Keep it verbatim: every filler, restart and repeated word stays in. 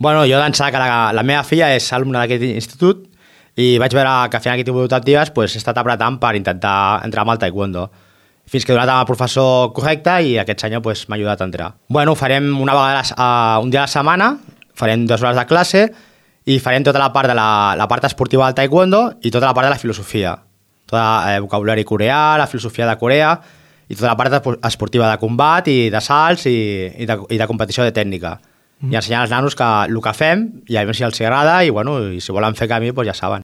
Bueno, jo d'ençà que la, la meva filla és alumna d'aquest institut i vaig veure que fent aquest tipus d'optatives pues, he estat apretant per intentar entrar amb el taekwondo. Fins que he donat amb el professor correcte i aquest senyor pues, m'ha ajudat a entrar. Bueno, ho farem una vegada uh, un dia a la setmana, farem dues hores de classe i farem tota la part de la, la part esportiva del taekwondo i tota la part de la filosofia. Tot el eh, vocabulari coreà, la filosofia de Corea i tota la part esportiva de combat i de salts i, i, de, i de competició de tècnica. Mm. I ensenyar als nanos que el que fem i a veure si els agrada i, bueno, i si volen fer camí pues ja saben.